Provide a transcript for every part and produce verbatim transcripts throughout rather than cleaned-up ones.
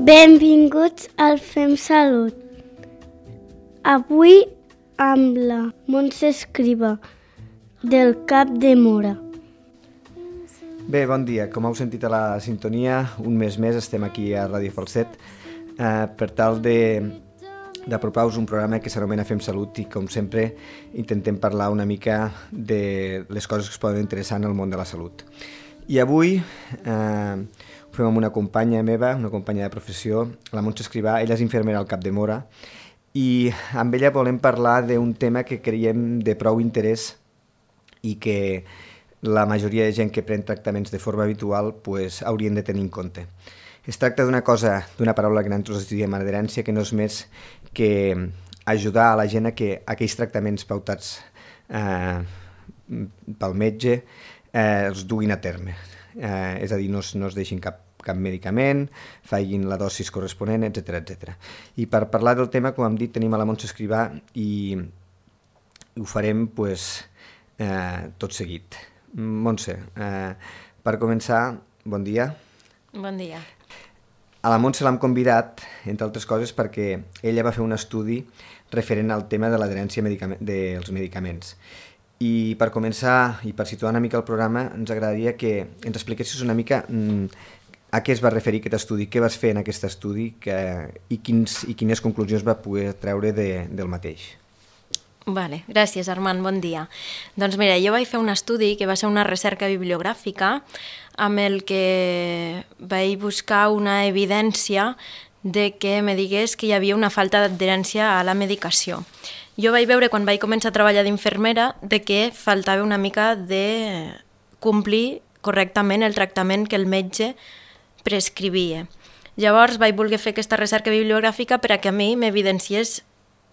Benvinguts al Fem Salut. Avui amb la Montse Escriba, del Cap de Móra. Bé, bon dia. Com heu sentit a la sintonia, un mes més estem aquí a Ràdio Falset eh, per tal de d'apropar-vos un programa que s'anomena Fem Salut i, com sempre, intentem parlar una mica de les coses que es poden interessar en el món de la salut. I avui eh, ho fem amb una companya meva, una companya de professió, la Montse Escribà. Ella és infermera al Cap de Móra i amb ella volem parlar d'un tema que creiem de prou interès i que la majoria de gent que pren tractaments de forma habitual pues, haurien de tenir en compte. Es tracta d'una cosa, d'una paraula que nosaltres diem adherència, que no és més que ajudar a la gent a que aquells tractaments pautats eh, pel metge eh, els duguin a terme. Eh, és a dir, no es, no es deixin cap, cap medicament, facin la dosis corresponent, etcètera, etcètera. I per parlar del tema, com hem dit, tenim a la Montse Escribà i, i ho farem pues, eh, tot seguit. Montse, eh, per començar, bon dia. Bon dia. A la Montse l'hem convidat, entre altres coses, perquè ella va fer un estudi referent al tema de l'adherència medicament, dels medicaments. I per començar, i per situar una mica el programa, ens agradaria que ens expliquessis una mica mm, a què es va referir aquest estudi, què vas fer en aquest estudi que, i, quins, i quines conclusions va poder treure de, del mateix. Vale, gràcies, Armand, bon dia. Doncs mira, jo vaig fer un estudi que va ser una recerca bibliogràfica amb el que vaig buscar una evidència de que me digués que hi havia una falta d'adherència a la medicació. Jo vaig veure, quan vaig començar a treballar d'infermera, de que faltava una mica de complir correctament el tractament que el metge prescrivia. Llavors vaig voler fer aquesta recerca bibliogràfica per a que a mi m'evidenciés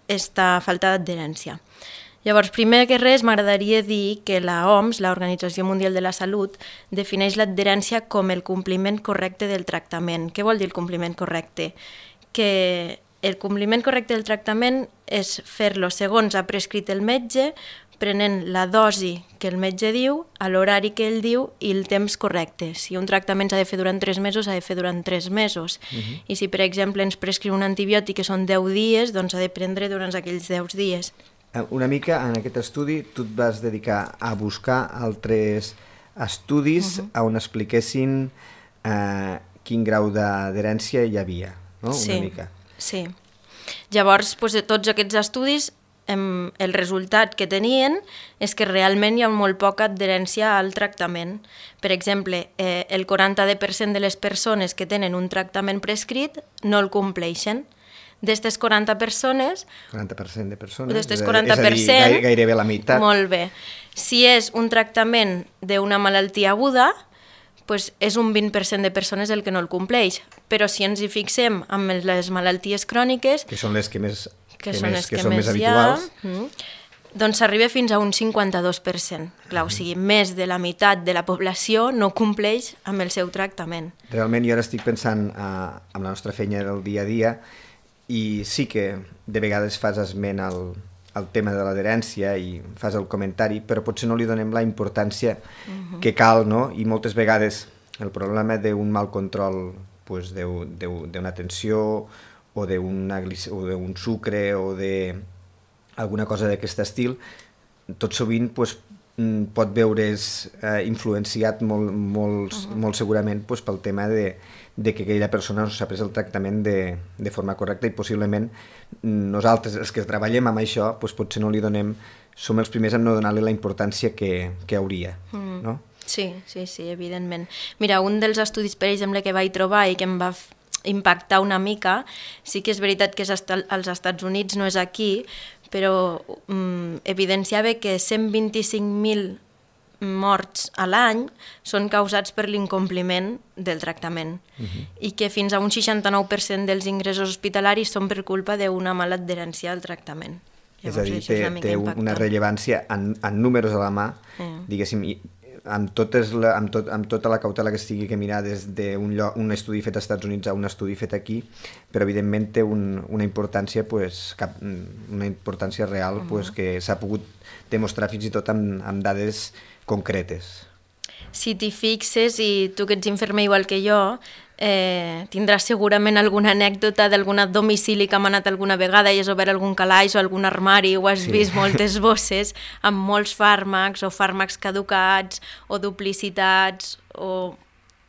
aquesta falta d'adherència. Llavors, primer que res, m'agradaria dir que la O M S, l'Organització Mundial de la Salut, defineix l'adherència com el compliment correcte del tractament. Què vol dir el compliment correcte? Que el compliment correcte del tractament és fer-lo segons ha prescrit el metge, prenent la dosi que el metge diu, a l'horari que ell diu i el temps correcte. Si un tractament s'ha de fer durant tres mesos, s'ha de fer durant tres mesos. Uh-huh. I si, per exemple, ens prescriu un antibiòtic que són deu dies, doncs s'ha de prendre durant aquells deu dies. Una mica, en aquest estudi, tu et vas dedicar a buscar altres estudis uh-huh. on expliquessin eh, quin grau d'adherència hi havia, no? Sí, una mica. Sí. Llavors, doncs, de tots aquests estudis, el resultat que tenien és que realment hi ha molt poca adherència al tractament. Per exemple, eh, el quaranta per cent de les persones que tenen un tractament prescrit no el compleixen. D'estes quaranta persones... quaranta per cent de persones? D'estes quaranta per cent... És a dir, gairebé la meitat. Molt bé. Si és un tractament d'una malaltia aguda, doncs és un vint per cent de persones el que no el compleix. Però si ens hi fixem amb les malalties cròniques... Que són les que més... que, que, són, més, que, que són més més habituals, ha, mm, doncs s'arriba fins a un cinquanta-dos per cent. Clar, o sigui, més de la meitat de la població no compleix amb el seu tractament. Realment jo ara estic pensant eh, en la nostra feina del dia a dia i sí que de vegades fas esment al, al tema de l'adherència i fas el comentari, però potser no li donem la importància uh-huh. que cal, no? I moltes vegades el problema d'un mal control pues, d'una tensió o d'un sucre o d'alguna cosa d'aquest estil, tot sovint pues, pot veure's eh, influenciat molt, molt, uh-huh. molt segurament pues, pel tema de, de que aquella persona no s'ha pres el tractament de, de forma correcta i possiblement nosaltres, els que treballem amb això, pues, potser no li donem, som els primers en no donar-li la importància que, que hauria, uh-huh. no? Sí, sí, sí, evidentment. Mira, un dels estudis, per exemple, que vaig trobar i que em va impactar una mica, sí que és veritat que és als Estats Units, no és aquí, però um, evidenciava que cent vint-i-cinc mil morts a l'any són causats per l'incompliment del tractament uh-huh. i que fins a un seixanta-nou per cent dels ingressos hospitalaris són per culpa d'una mala adherència al tractament. Llavors, és a dir, té, una, té una rellevància en, en números a la mà, eh. diguéssim, amb, totes la, amb, tot, amb tota la cautela que estigui que mirar des d'un un estudi fet als Estats Units a un estudi fet aquí, però evidentment té un, una importància pues, cap, una importància real uh-huh. pues, que s'ha pogut demostrar fins i tot amb, amb dades concretes. si t'hi fixes, i tu que ets infermer igual que jo, eh, tindràs segurament alguna anècdota d'algun domicili que hem anat alguna vegada i has obert algun calaix o algun armari o has sí. vist moltes bosses amb molts fàrmacs o fàrmacs caducats o duplicitats o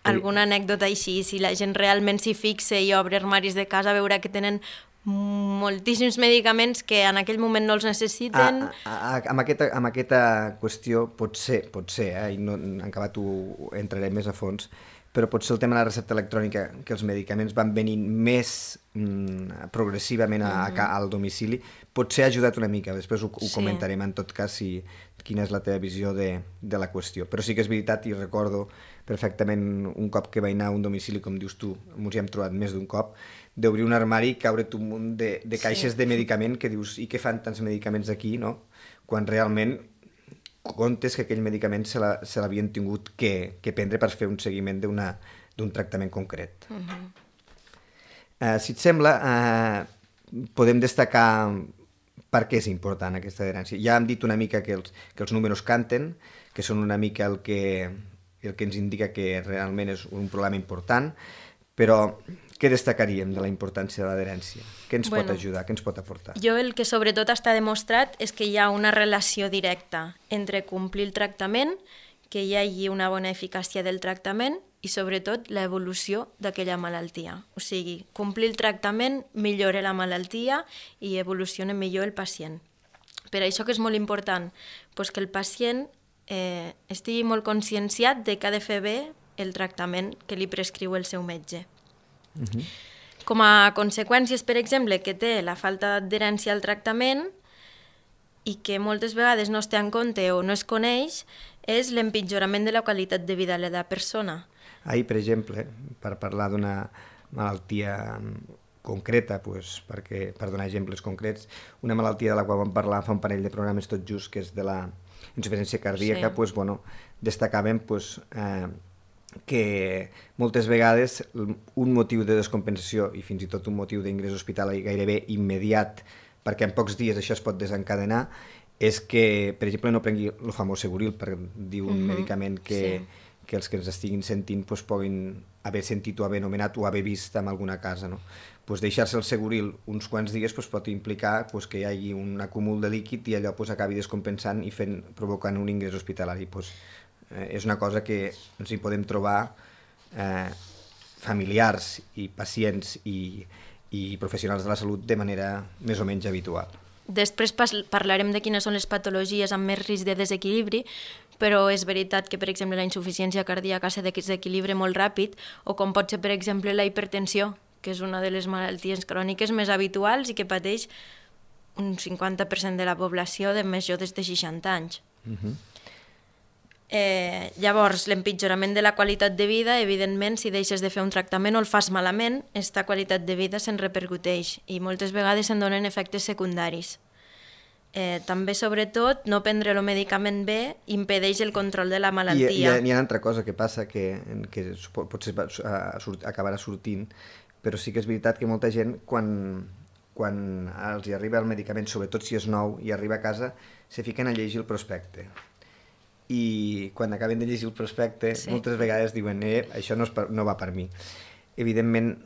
alguna anècdota així. Si la gent realment s'hi fixa i obre armaris de casa veurà que tenen moltíssims medicaments que en aquell moment no els necessiten. A, a, a, amb, aquesta, amb aquesta qüestió pot ser, pot ser, eh? I no, en acabat ho entraré més a fons, però pot ser el tema de la recepta electrònica, que els medicaments van venint més mm, progressivament a, a, al domicili, potser ha ajudat una mica, després ho, ho sí. comentarem en tot cas si, quina és la teva visió de, de la qüestió. Però sí que és veritat, i recordo perfectament un cop que vaig anar a un domicili, com dius tu, ens hi hem trobat més d'un cop, d'obrir un armari i caure't un munt de, de caixes sí. de medicament que dius, i què fan tants medicaments aquí, no? Quan realment comptes que aquell medicament se l'havien tingut que, que prendre per fer un seguiment d'un tractament concret. Uh-huh. uh, si et sembla, uh, podem destacar per què és important aquesta adherència. Ja hem dit una mica que els, que els números canten, que són una mica el que, el que ens indica que realment és un problema important, però què destacaríem de la importància de l'adherència? Què ens bueno, pot ajudar? Què ens pot aportar? Jo el que sobretot està demostrat és que hi ha una relació directa entre complir el tractament, que hi hagi una bona eficàcia del tractament i sobretot l'evolució d'aquella malaltia. O sigui, complir el tractament millora la malaltia i evoluciona millor el pacient. Per això que és molt important doncs que el pacient eh, estigui molt conscienciat de que ha de fer bé el tractament que li prescriu el seu metge. Uh-huh. Com a conseqüències, per exemple, que té la falta d'adherència al tractament i que moltes vegades no es té en compte o no es coneix, és l'empitjorament de la qualitat de vida de la persona. Ahir, per exemple, per parlar d'una malaltia concreta, doncs, perquè, per donar exemples concrets, una malaltia de la qual vam parlar fa un parell de programes tot just, que és de la insuficiència cardíaca, sí. doncs, bueno, destacàvem doncs, eh, que moltes vegades un motiu de descompensació i fins i tot un motiu d'ingrés hospitalari gairebé immediat, perquè en pocs dies això es pot desencadenar, és que, per exemple, no prengui el famós Seguril, per dir un uh-huh. medicament que, sí. que els que ens estiguin sentint pues, puguin haver sentit o haver anomenat o haver vist en alguna casa. No? Pues deixar-se el Seguril uns quants dies pues, pot implicar pues, que hi hagi un acúmul de líquid i allò pues, acabi descompensant i fent, provocant un ingrés hospitalari. Pues, eh, és una cosa que ens hi podem trobar eh, familiars i pacients i, i professionals de la salut de manera més o menys habitual. Després parlarem de quines són les patologies amb més risc de desequilibri, però és veritat que, per exemple, la insuficiència cardíaca se desequilibra molt ràpid, o com pot ser, per exemple, la hipertensió, que és una de les malalties cròniques més habituals i que pateix un cinquanta per cent de la població de més joves de seixanta anys. Uh-huh. Eh, llavors, l'empitjorament de la qualitat de vida, evidentment, si deixes de fer un tractament o el fas malament, aquesta qualitat de vida se'n repercuteix i moltes vegades se'n donen efectes secundaris. Eh, també, sobretot, no prendre el medicament bé impedeix el control de la malaltia. I hi ha, hi ha una altra cosa que passa que, que potser acabarà sortint, però sí que és veritat que molta gent, quan, quan els hi arriba el medicament, sobretot si és nou, i arriba a casa, se fiquen a llegir el prospecte. I quan acaben de llegir el prospecte, sí. moltes vegades diuen eh, això no, és per, no va per mi. Evidentment,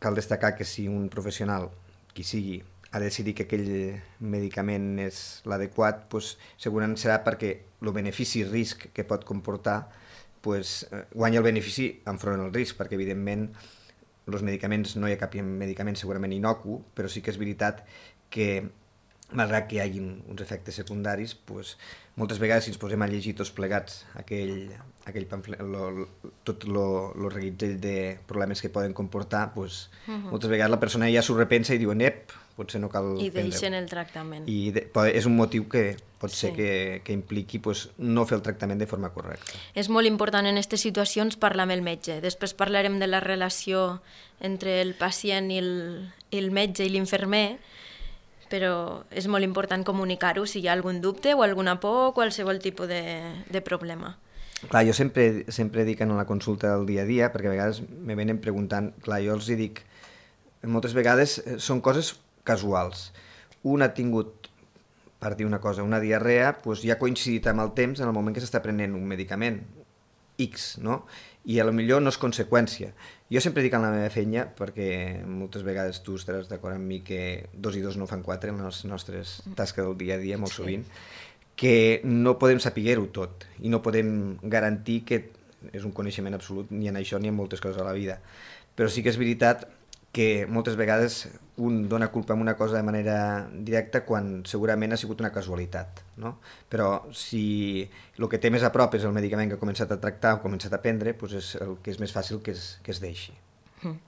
cal destacar que si un professional, qui sigui, ha decidit que aquell medicament és l'adequat, doncs, segurament serà perquè el benefici-risc que pot comportar doncs, guanya el benefici enfront del risc, perquè evidentment els medicaments, no hi ha cap medicament segurament inocu, però sí que és veritat que malgrat que hi hagi uns efectes secundaris, doncs, moltes vegades si ens posem a llegir tots plegats aquell, aquell pamflet, lo, lo, tot el reguitzell de problemes que poden comportar, doncs, uh-huh. moltes vegades la persona ja s'ho repensa i diu, ep, potser no cal I deixen el tractament. I de, és un motiu que pot sí. ser que, que impliqui pues, no fer el tractament de forma correcta. És molt important en aquestes situacions parlar amb el metge. Després parlarem de la relació entre el pacient i el, i el metge i l'infermer, però és molt important comunicar-ho si hi ha algun dubte o alguna por o qualsevol tipus de, de problema. Clar, jo sempre, sempre dic en la consulta del dia a dia, perquè a vegades me venen preguntant, clar, jo els hi dic, moltes vegades són coses casuals. Un ha tingut, per dir una cosa, una diarrea, doncs ja ha coincidit amb el temps en el moment que s'està prenent un medicament. X, no? I a lo millor no és conseqüència. Jo sempre dic en la meva feina, perquè moltes vegades tu estaràs d'acord amb mi que dos i dos no fan quatre en les nostres tasques del dia a dia, molt sovint, que no podem saber-ho tot i no podem garantir que és un coneixement absolut ni en això ni en moltes coses a la vida. Però sí que és veritat que moltes vegades un dona culpa a una cosa de manera directa quan segurament ha sigut una casualitat, no? Però si el que té més a prop és el medicament que ha començat a tractar o ha començat a prendre, doncs és el que és més fàcil que es, que es deixi. Mm.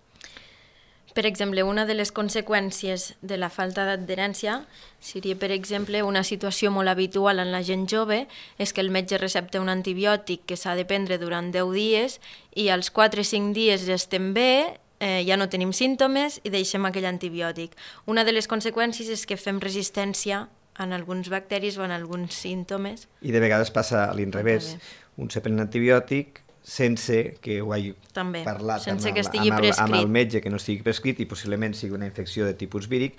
Per exemple, una de les conseqüències de la falta d'adherència seria, per exemple, una situació molt habitual en la gent jove és que el metge recepta un antibiòtic que s'ha de prendre durant deu dies i als quatre o cinc dies ja estem bé, eh, ja no tenim símptomes i deixem aquell antibiòtic. Una de les conseqüències és que fem resistència en alguns bacteris o en alguns símptomes. I de vegades passa a l'inrevés. Un se pren un antibiòtic sense que ho hagi També, parlat sense amb, que el, estigui amb, el, prescrit. amb el metge, que no estigui prescrit i possiblement sigui una infecció de tipus víric,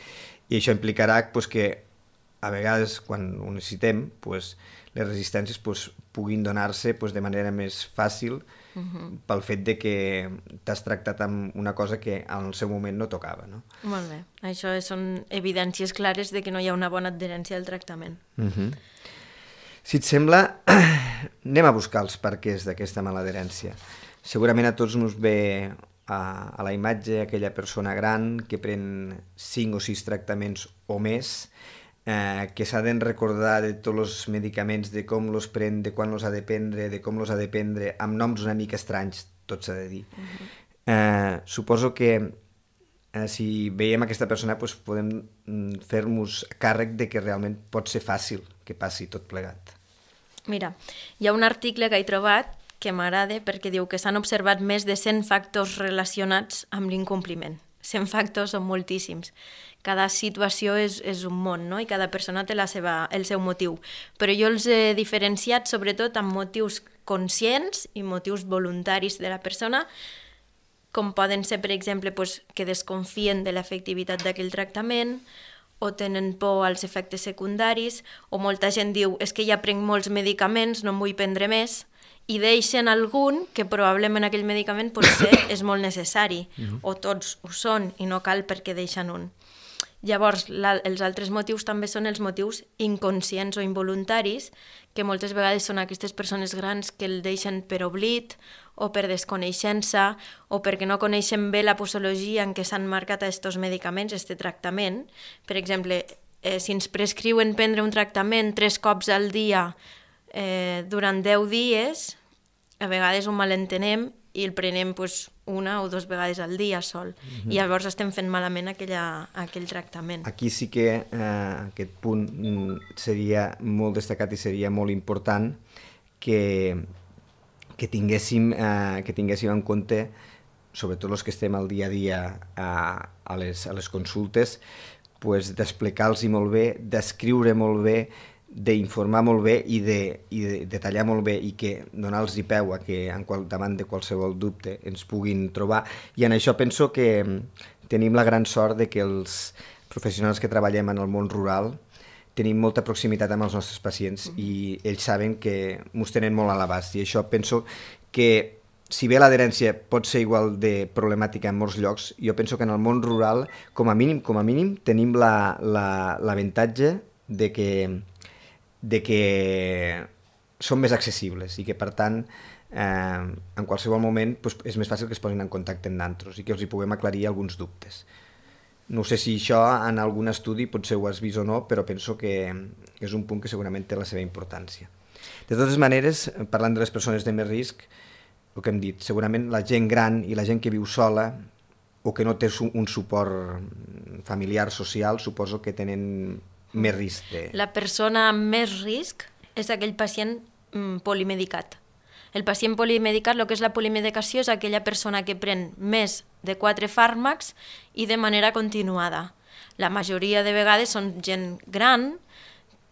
i això implicarà pues, que a vegades quan ho necessitem pues, les resistències pues, puguin donar-se pues, de manera més fàcil uh-huh. pel fet de que t'has tractat amb una cosa que en el seu moment no tocava. No? Molt bé, això són evidències clares de que no hi ha una bona adherència al tractament. Uh-huh. Si et sembla, anem a buscar els perquès d'aquesta maladherència. Segurament a tots ens ve a, a la imatge aquella persona gran que pren cinc o sis tractaments o més, eh, que s'ha de recordar de tots els medicaments, de com els pren, de quan els ha de prendre, de com els ha de prendre, amb noms una mica estranys, tot s'ha de dir. Uh-huh. eh, suposo que eh, si veiem aquesta persona doncs podem fer-nos càrrec de que realment pot ser fàcil que passi tot plegat. Mira, hi ha un article que he trobat que m'agrada perquè diu que s'han observat més de cent factors relacionats amb l'incompliment. cent factors són moltíssims. Cada situació és, és un món, no? I cada persona té la seva, el seu motiu. Però jo els he diferenciat sobretot amb motius conscients i motius voluntaris de la persona, com poden ser, per exemple, pues, que desconfien de l'efectivitat d'aquell tractament, o tenen por als efectes secundaris, o molta gent diu és que ja prenc molts medicaments, no en vull prendre més, i deixen algun que probablement aquell medicament potser és molt necessari, uh-huh. o tots ho són i no cal perquè deixen un. Llavors, la, els altres motius també són els motius inconscients o involuntaris, que moltes vegades són aquestes persones grans que el deixen per oblit o per desconeixença o perquè no coneixen bé la posologia en què s'han marcat aquests medicaments, aquest tractament. Per exemple, eh, si ens prescriuen prendre un tractament tres cops al dia eh, durant deu dies, a vegades ho malentenem i el prenem pues, una o dues vegades al dia sol. Mm-hmm. I llavors estem fent malament aquella, aquell tractament. Aquí sí que eh, aquest punt seria molt destacat i seria molt important que, que, tinguéssim, eh, que tinguéssim en compte, sobretot els que estem al dia a dia a, a, les, a les consultes, pues, d'explicar-los molt bé, d'escriure molt bé, d'informar molt bé i de, i de detallar molt bé i que donar-los peu a que en qual, davant de qualsevol dubte ens puguin trobar. I en això penso que tenim la gran sort de que els professionals que treballem en el món rural tenim molta proximitat amb els nostres pacients mm-hmm. i ells saben que ens tenen molt a l'abast. I això penso que si bé l'adherència pot ser igual de problemàtica en molts llocs, jo penso que en el món rural, com a mínim, com a mínim tenim l'avantatge de que de que són més accessibles i que, per tant, eh, en qualsevol moment pues, és més fàcil que es posin en contacte amb nosaltres i que els hi puguem aclarir alguns dubtes. No sé si això en algun estudi potser ho has vist o no, però penso que és un punt que segurament té la seva importància. De totes maneres, parlant de les persones de més risc, el que hem dit, segurament la gent gran i la gent que viu sola o que no té un suport familiar, social, suposo que tenen més risc de... La persona amb més risc és aquell pacient mm, polimedicat. El pacient polimedicat, el que és la polimedicació, és aquella persona que pren més de quatre fàrmacs i de manera continuada. La majoria de vegades són gent gran,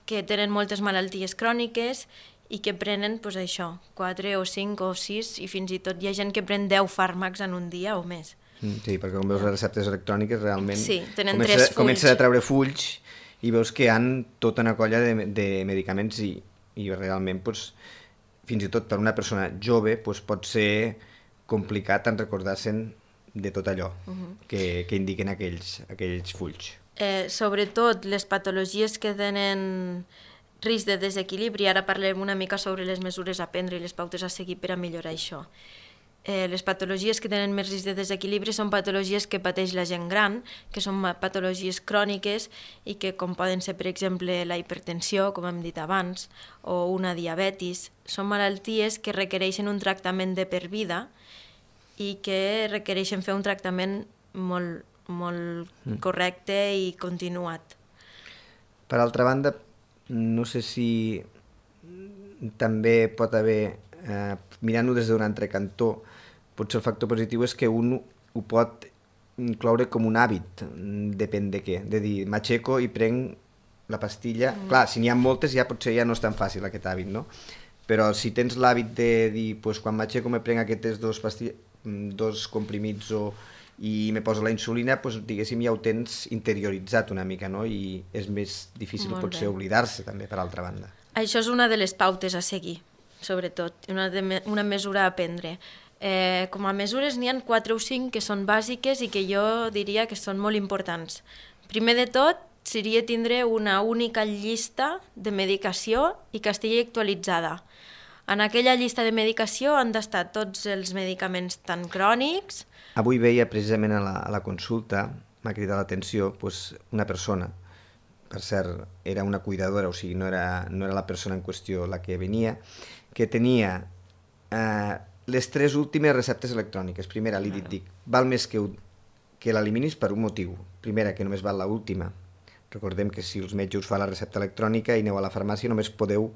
que tenen moltes malalties cròniques i que prenen pues, això, quatre o cinc o sis, i fins i tot hi ha gent que pren deu fàrmacs en un dia o més. Sí, perquè com veus les receptes electròniques realment sí, tenen comença, tres fulls. Comença a treure fulls i veus que hi ha tota una colla de, de medicaments i, i realment pues, fins i tot per una persona jove doncs pot ser complicat en recordar-se'n de tot allò uh-huh. que, que indiquen aquells, aquells fulls. Eh, sobretot les patologies que tenen risc de desequilibri, ara parlem una mica sobre les mesures a prendre i les pautes a seguir per a millorar això. Eh, les patologies que tenen més risc de desequilibri són patologies que pateix la gent gran, que són patologies cròniques i que, com poden ser, per exemple, la hipertensió, com hem dit abans, o una diabetis, són malalties que requereixen un tractament de per vida i que requereixen fer un tractament molt, molt mm. correcte i continuat. Per altra banda, no sé si també pot haver, eh, mirant-ho des d'un altre cantó, potser el factor positiu és que un ho pot incloure com un hàbit, depèn de què, de dir, m'aixeco i prenc la pastilla. Mm. Clar, si n'hi ha moltes ja potser ja no és tan fàcil aquest hàbit, no? Però si tens l'hàbit de dir, pues, quan m'aixeco me prenc aquestes dos, pastilles, dos comprimits o, i me poso la insulina, pues, diguéssim, ja ho tens interioritzat una mica, no? I és més difícil Molt potser bé. oblidar-se també, per altra banda. Això és una de les pautes a seguir, sobretot, una, de me una mesura a prendre. Eh, com a mesures n'hi ha quatre o cinc que són bàsiques i que jo diria que són molt importants. Primer de tot, seria tindre una única llista de medicació i que estigui actualitzada. En aquella llista de medicació han d'estar tots els medicaments tan crònics. Avui veia precisament a la, a la consulta, m'ha cridat l'atenció, pues, una persona, per cert, era una cuidadora, o sigui, no era, no era la persona en qüestió la que venia, que tenia eh, les tres últimes receptes electròniques. Primera, li dic, dic val més que, que l'eliminis per un motiu. Primera, que només val l'última. Recordem que si els metges us fa la recepta electrònica i aneu a la farmàcia només podeu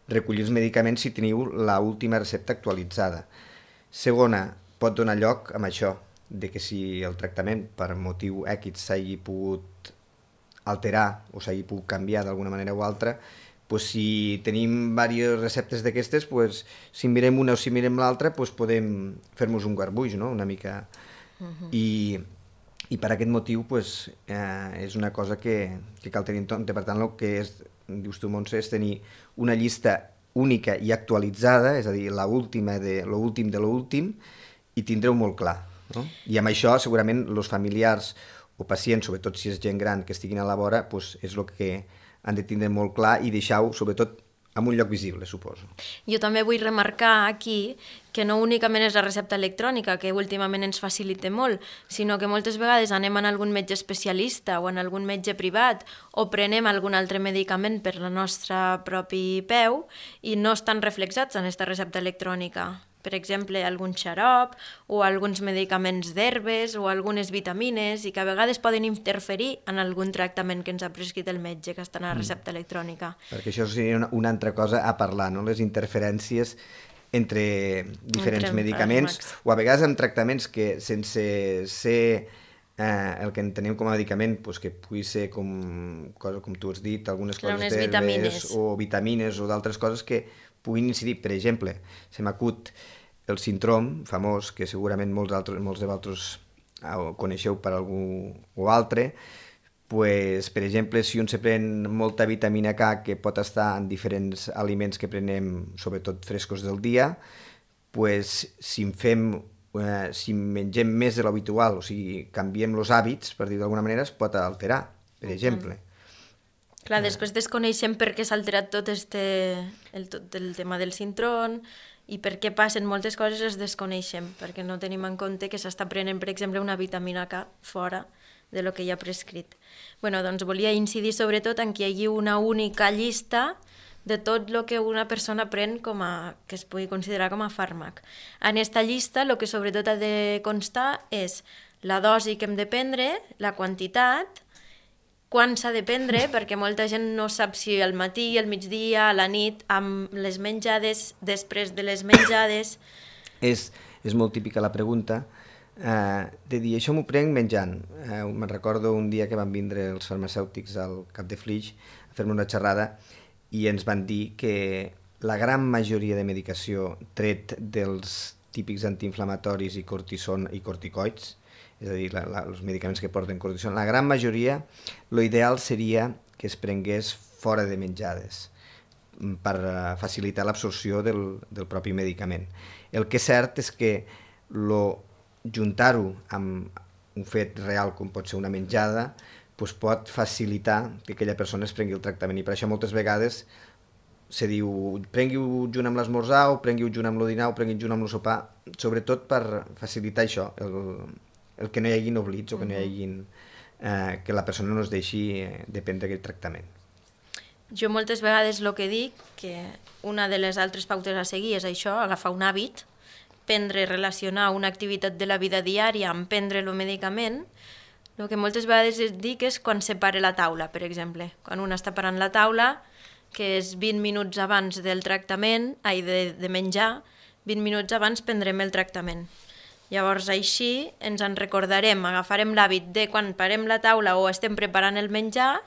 recollir els medicaments si teniu l'última recepta actualitzada. Segona, pot donar lloc amb això, de que si el tractament per motiu X s'hagi pogut alterar o s'hagi pogut canviar d'alguna manera o altra, pues si tenim diverses receptes d'aquestes, pues, si mirem una o si mirem l'altra, pues podem fer-nos un garbuix, no? Una mica. Uh-huh. I, I per aquest motiu pues, eh, és una cosa que, que cal tenir en compte. Per tant, el que és, dius tu, Montse, és tenir una llista única i actualitzada, és a dir, l'última de l'últim de l'últim, i tindreu molt clar. No? I amb això, segurament, els familiars o pacients, sobretot si és gent gran que estiguin a la vora, pues, és el que han de tindre molt clar i deixar-ho, sobretot, en un lloc visible, suposo. Jo també vull remarcar aquí que no únicament és la recepta electrònica, que últimament ens facilita molt, sinó que moltes vegades anem a algun metge especialista o en algun metge privat o prenem algun altre medicament per la nostra propi peu i no estan reflexats en aquesta recepta electrònica. Per exemple, algun xarop o alguns medicaments d'herbes o algunes vitamines i que a vegades poden interferir en algun tractament que ens ha prescrit el metge que està en la recepta electrònica. Perquè això seria una, una altra cosa a parlar, no? Les interferències entre diferents entre medicaments o a vegades amb tractaments que sense ser eh, el que entenem com a medicament, pues, que pugui ser com, cosa, com tu has dit, algunes Clar, coses d'herbes o vitamines o d'altres coses que puguin incidir. Per exemple, se m'acut el síndrom famós, que segurament molts, altres, molts de vosaltres coneixeu per algú o altre, pues, per exemple, si un se pren molta vitamina K que pot estar en diferents aliments que prenem, sobretot frescos del dia, pues, si en fem, eh, si mengem més de l'habitual, o sigui, canviem els hàbits, per dir d'alguna manera, es pot alterar, per exemple. Clar, després desconeixem per què s'ha alterat tot este, el, tot el tema del síndrom i per què passen moltes coses les desconeixem, perquè no tenim en compte que s'està prenent, per exemple, una vitamina K fora de lo que hi ha prescrit. Bueno, doncs volia incidir sobretot en que hi hagi una única llista de tot el que una persona pren com a, que es pugui considerar com a fàrmac. En aquesta llista el que sobretot ha de constar és la dosi que hem de prendre, la quantitat, quan s'ha de prendre, perquè molta gent no sap si al matí, al migdia, a la nit, amb les menjades, després de les menjades. És, és molt típica la pregunta, eh, de dir, això m'ho prenc menjant. Eh, me'n recordo un dia que van vindre els farmacèutics al Cap de Flix a fer-me una xerrada i ens van dir que la gran majoria de medicació tret dels típics antiinflamatoris i cortison i corticoids, és a dir, la, la, els medicaments que porten cortisona, la gran majoria, l'ideal seria que es prengués fora de menjades. per facilitar l'absorció del, del propi medicament. El que és cert és que lo, juntar-ho amb un fet real com pot ser una menjada doncs pot facilitar que aquella persona es prengui el tractament, i per això moltes vegades se diu prengui-ho junt amb l'esmorzar o prengui-ho junt amb el dinar o prengui-ho junt amb el sopar, sobretot per facilitar això, el, el que no hi haguin oblits o que no hi haguin, eh, que la persona no es deixi eh, de prendre aquest tractament. Jo moltes vegades el que dic, que una de les altres pautes a seguir és això, agafar un hàbit, prendre, relacionar una activitat de la vida diària amb prendre el medicament. El que moltes vegades dic és quan separe la taula, per exemple. Quan un està parant la taula, que és vint minuts abans del tractament, ai, de, de menjar, vint minuts abans prendrem el tractament. Llavors així ens en recordarem, agafarem l'hàbit de quan parem la taula o estem preparant el menjar,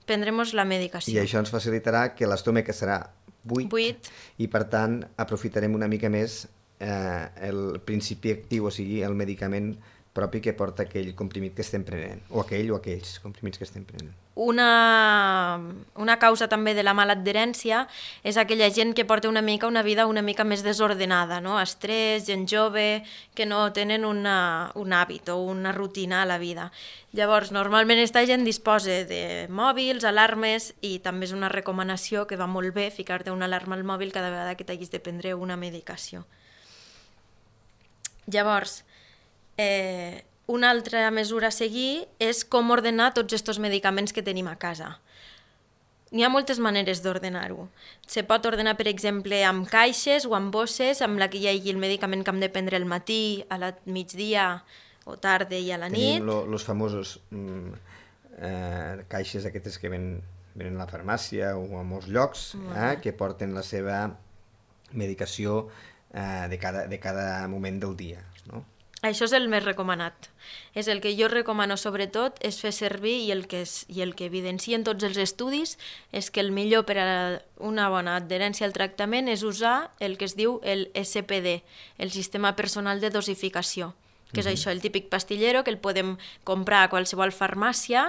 prendrem la medicació. I això ens facilitarà que l'estómac serà buit, buit i per tant aprofitarem una mica més eh, el principi actiu, o sigui, el medicament propi que porta aquell comprimit que estem prenent, o aquell o aquells comprimits que estem prenent. Una, una causa també de la mala adherència és aquella gent que porta una mica una vida una mica més desordenada, no? Estrès, gent jove, que no tenen una, un hàbit o una rutina a la vida. Llavors, normalment aquesta gent disposa de mòbils, alarmes, i també és una recomanació que va molt bé ficar-te una alarma al mòbil cada vegada que t'hagis de prendre una medicació. Llavors, Eh, una altra mesura a seguir és com ordenar tots aquests medicaments que tenim a casa. N'hi ha moltes maneres d'ordenar-ho. Se pot ordenar, per exemple, amb caixes o amb bosses, amb la que hi hagi el medicament que hem de prendre al matí, a la migdia o tarda i a la nit. Tenim els famosos mm, eh, caixes aquestes que ven, venen a la farmàcia o a molts llocs, eh, que porten la seva medicació eh, de, cada, de cada moment del dia, no? Això és el més recomanat. És el que jo recomano sobretot és fer servir, i el que, és, i el que evidencien tots els estudis és que el millor per a una bona adherència al tractament és usar el que es diu el S P D, el Sistema Personal de Dosificació, que és uh-huh. això, el típic pastillero que el podem comprar a qualsevol farmàcia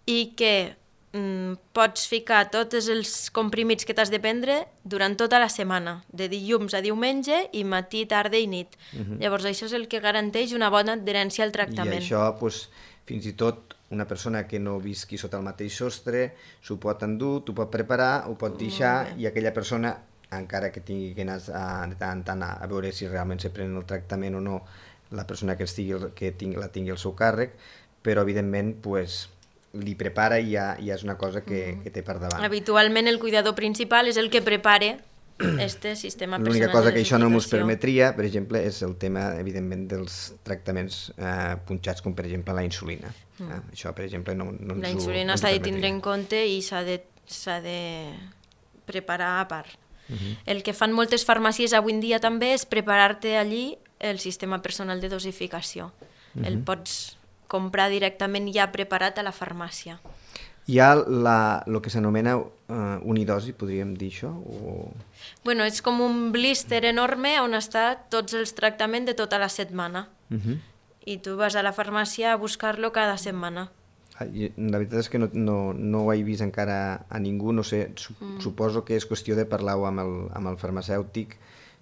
i que mm, pots ficar tots els comprimits que t'has de prendre durant tota la setmana, de dilluns a diumenge i matí, tarda i nit. Uh-huh. Llavors això és el que garanteix una bona adherència al tractament. I això, doncs, fins i tot una persona que no visqui sota el mateix sostre s'ho pot endur, t'ho pot preparar, ho pot deixar, i aquella persona, encara que tingui que anar a, de tant en tant a, a veure si realment se pren el tractament o no, la persona que, estigui, que tingui, la tingui al seu càrrec, però evidentment, doncs, li prepara i ja, ja és una cosa que, que té per davant. Habitualment el cuidador principal és el que prepare este sistema personal de dosificació. L'única cosa que això no ens permetria, per exemple, és el tema, evidentment, dels tractaments eh, punxats, com per exemple la insulina. Mm. Eh? Això, per exemple, no, no ens La insulina s'ha de tindre en compte i s'ha de, s'ha de preparar a part. Uh-huh. El que fan moltes farmàcies avui en dia també és preparar-te allí el sistema personal de dosificació. Uh-huh. El pots comprar directament ja preparat a la farmàcia. Hi ha el que s'anomena uh, unidosi, podríem dir això? O... Bueno, és com un blister enorme on està tots els tractaments de tota la setmana. Uh-huh. I tu vas a la farmàcia a buscar-lo cada setmana. La veritat és que no, no, no ho he vist encara a ningú, no sé, mm. suposo que és qüestió de parlar-ho amb, el, amb el farmacèutic,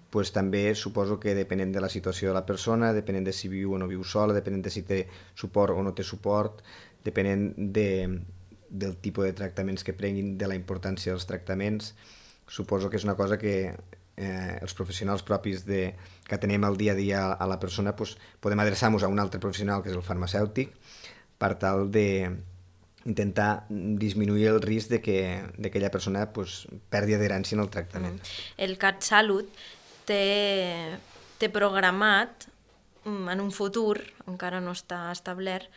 pues també suposo que depenent de la situació de la persona, depenent de si viu o no viu sola, depenent de si té suport o no té suport, depenent de, del tipus de tractaments que prenguin, de la importància dels tractaments, suposo que és una cosa que eh, els professionals propis de, que tenem al dia a dia a la persona, pues, podem adreçar-nos a un altre professional, que és el farmacèutic, per tal d'intentar disminuir el risc de que aquella persona pues, perdi adherència en el tractament. El CatSalut té, té programat en un futur, encara no està establert,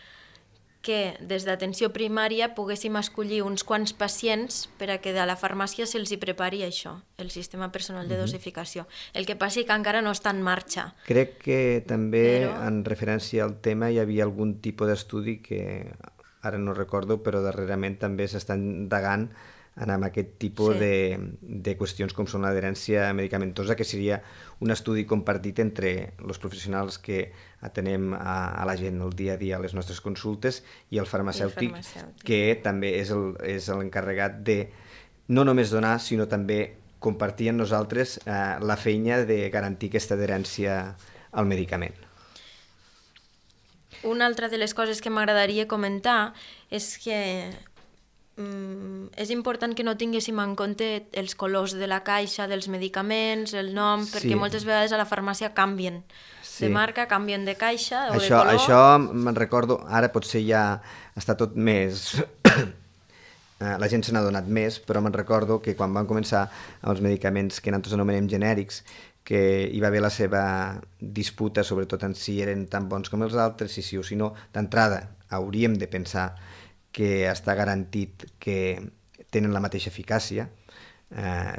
que des d'atenció primària poguéssim escollir uns quants pacients per a que de la farmàcia se'ls hi prepari això, el sistema personal de dosificació. El que passi que encara no està en marxa. Crec que també, però... en referència al tema, hi havia algun tipus d'estudi que ara no recordo, però darrerament també s'estan indagant en aquest tipus sí. de, de qüestions com són l'adherència medicamentosa, que seria un estudi compartit entre els professionals que atenem a, a la gent el dia a dia a les nostres consultes i el farmacèutic, I el farmacèutic. que també és l'encarregat de no només donar, sinó també compartir amb nosaltres eh, la feina de garantir aquesta adherència al medicament. Una altra de les coses que m'agradaria comentar és que mm, és important que no tinguéssim en compte els colors de la caixa, dels medicaments, el nom, Sí. perquè moltes vegades a la farmàcia canvien Sí. de marca, canvien de caixa o de Això, color. això me'n recordo, ara potser ja està tot més... eh, la gent se n'ha donat més, però me'n recordo que quan van començar amb els medicaments que nosaltres anomenem genèrics, que hi va haver la seva disputa, sobretot en si eren tan bons com els altres, si sí o si no, d'entrada hauríem de pensar que està garantit que tenen la mateixa eficàcia, eh,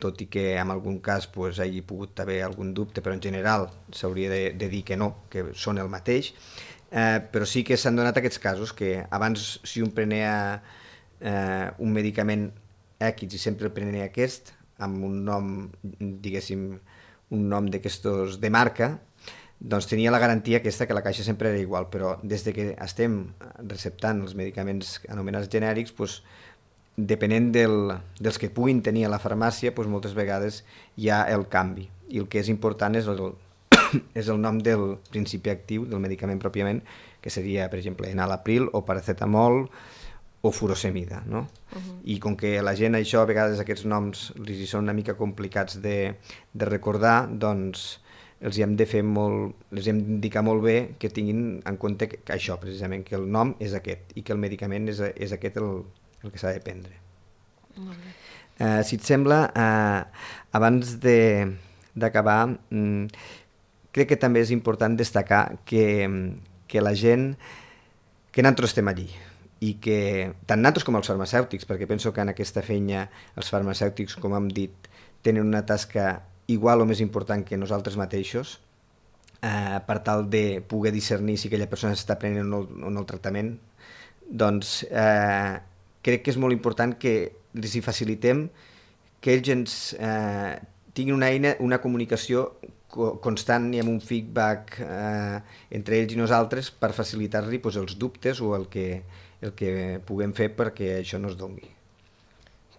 tot i que en algun cas pues, hi hagi pogut haver algun dubte, però en general s'hauria de, de dir que no, que són el mateix, eh, però sí que s'han donat aquests casos que abans si un prenia eh, un medicament X i sempre el prenia aquest, amb un nom, diguéssim, un nom d'aquestos de marca, doncs tenia la garantia aquesta que la caixa sempre era igual, però des de que estem receptant els medicaments anomenats genèrics, doncs, depenent del, dels que puguin tenir a la farmàcia, doncs moltes vegades hi ha el canvi. I el que és important és el, és el nom del principi actiu del medicament pròpiament, que seria, per exemple, enalapril o paracetamol o furosemida, no? Uh-huh. I com que la gent això, a vegades aquests noms li són una mica complicats de, de recordar, doncs els hi hem de fer molt, els hem d'indicar molt bé que tinguin en compte que, que això, precisament, que el nom és aquest i que el medicament és, és aquest el, el que s'ha de prendre. Molt bé. Eh, si et sembla, eh, abans de, d'acabar, mm, crec que també és important destacar que, que la gent, que nosaltres estem allí, i que tant nosaltres com els farmacèutics, perquè penso que en aquesta feina els farmacèutics, com hem dit, tenen una tasca igual o més important que nosaltres mateixos, eh, per tal de poder discernir si aquella persona s'està prenent o no, o no el tractament, doncs eh, crec que és molt important que els hi facilitem que ells ens eh, tinguin una eina, una comunicació co constant i amb un feedback eh, entre ells i nosaltres per facilitar-li pues, els dubtes o el que, el que puguem fer perquè això no es doni.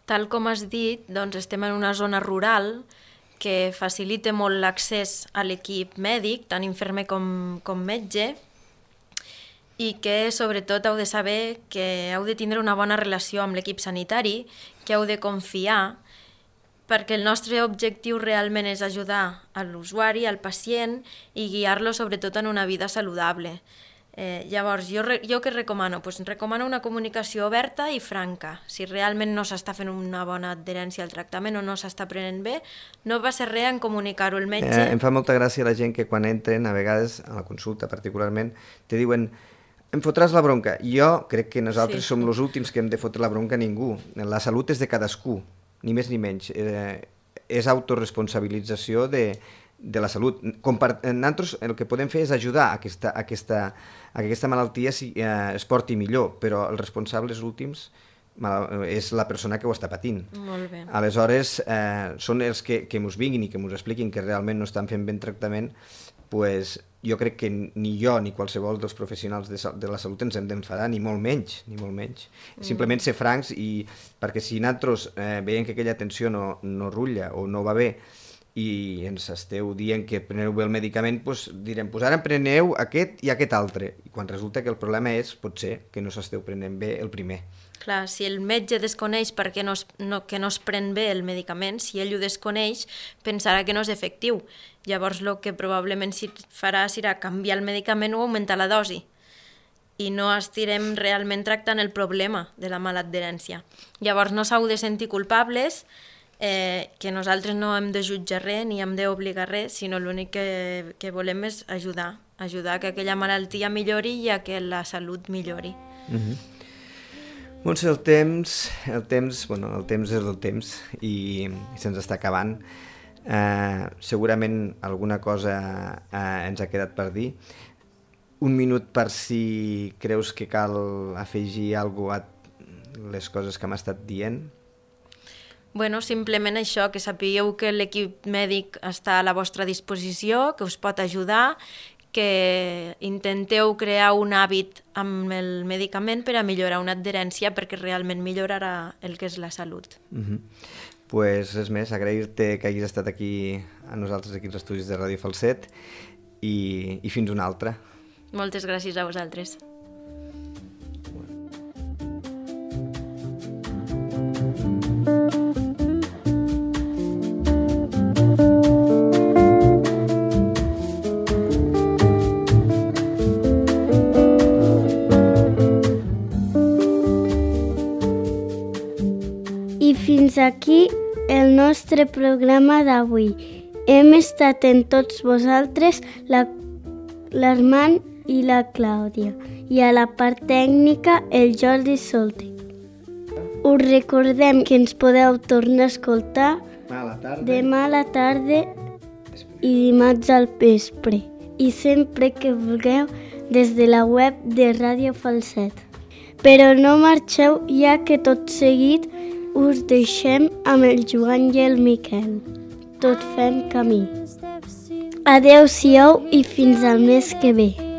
Tal com has dit, doncs estem en una zona rural que facilita molt l'accés a l'equip mèdic, tant infermer com, com metge, i que sobretot heu de saber que heu de tindre una bona relació amb l'equip sanitari, que heu de confiar, perquè el nostre objectiu realment és ajudar a l'usuari, al pacient, i guiar-lo sobretot en una vida saludable. Eh, llavors, jo, jo què recomano? Pues recomano una comunicació oberta i franca. Si realment no s'està fent una bona adherència al tractament o no s'està prenent bé, no va ser res en comunicar-ho al metge. Eh, em fa molta gràcia la gent que quan entren, a vegades, a la consulta particularment, te diuen em fotràs la bronca. Jo crec que nosaltres sí. som els últims que hem de fotre la bronca a ningú. La salut és de cadascú, ni més ni menys. Eh, és autoresponsabilització de, de la salut. Nosaltres el que podem fer és ajudar a aquesta, a aquesta, a que aquesta malaltia si, eh, es porti millor, però els responsables últims és la persona que ho està patint. Molt bé. Aleshores, eh, són els que, que mos vinguin i que mos expliquin que realment no estan fent ben tractament, pues, jo crec que ni jo ni qualsevol dels professionals de, de la salut ens hem d'enfadar, ni molt menys, ni molt menys. Mm. Simplement ser francs, i perquè si nosaltres eh, veiem que aquella atenció no, no rutlla o no va bé i ens esteu dient que preneu bé el medicament, doncs direm, doncs ara en preneu aquest i aquest altre. I quan resulta que el problema és, potser, que no s'esteu prenent bé el primer. Clar, si el metge desconeix perquè no es, no, que no es pren bé el medicament, si ell ho desconeix, pensarà que no és efectiu. Llavors, el que probablement farà serà canviar el medicament o augmentar la dosi. I no estirem realment tractant el problema de la mala adherència. Llavors, no s'heu de sentir culpables, eh, que nosaltres no hem de jutjar res ni hem d'obligar res, sinó l'únic que, que volem és ajudar, ajudar que aquella malaltia millori i a que la salut millori. Mm-hmm. Montse, el temps, el temps, bueno, el temps és el temps i, i se'ns està acabant. Eh, segurament alguna cosa eh, ens ha quedat per dir. Un minut per si creus que cal afegir alguna cosa a les coses que m'ha estat dient. Bueno, simplement això, que sapigueu que l'equip mèdic està a la vostra disposició, que us pot ajudar, que intenteu crear un hàbit amb el medicament per a millorar una adherència perquè realment millorarà el que és la salut. Mm-hmm. Pues res més, agrair-te que hagis estat aquí a nosaltres, aquí als estudis de Ràdio Falset, i, i fins una altra. Moltes gràcies a vosaltres. I fins aquí el nostre programa d'avui. Hem estat en tots vosaltres l'Armand i la Clàudia, i a la part tècnica el Jordi Solte. Us recordem que ens podeu tornar a escoltar a la tarda. demà a la tarda i dimarts al vespre, i sempre que vulgueu des de la web de Ràdio Falset. Però no marxeu, ja que tot seguit us deixem amb el Joan i el Miquel, tot fent camí. Adeu-siau i fins al mes que ve.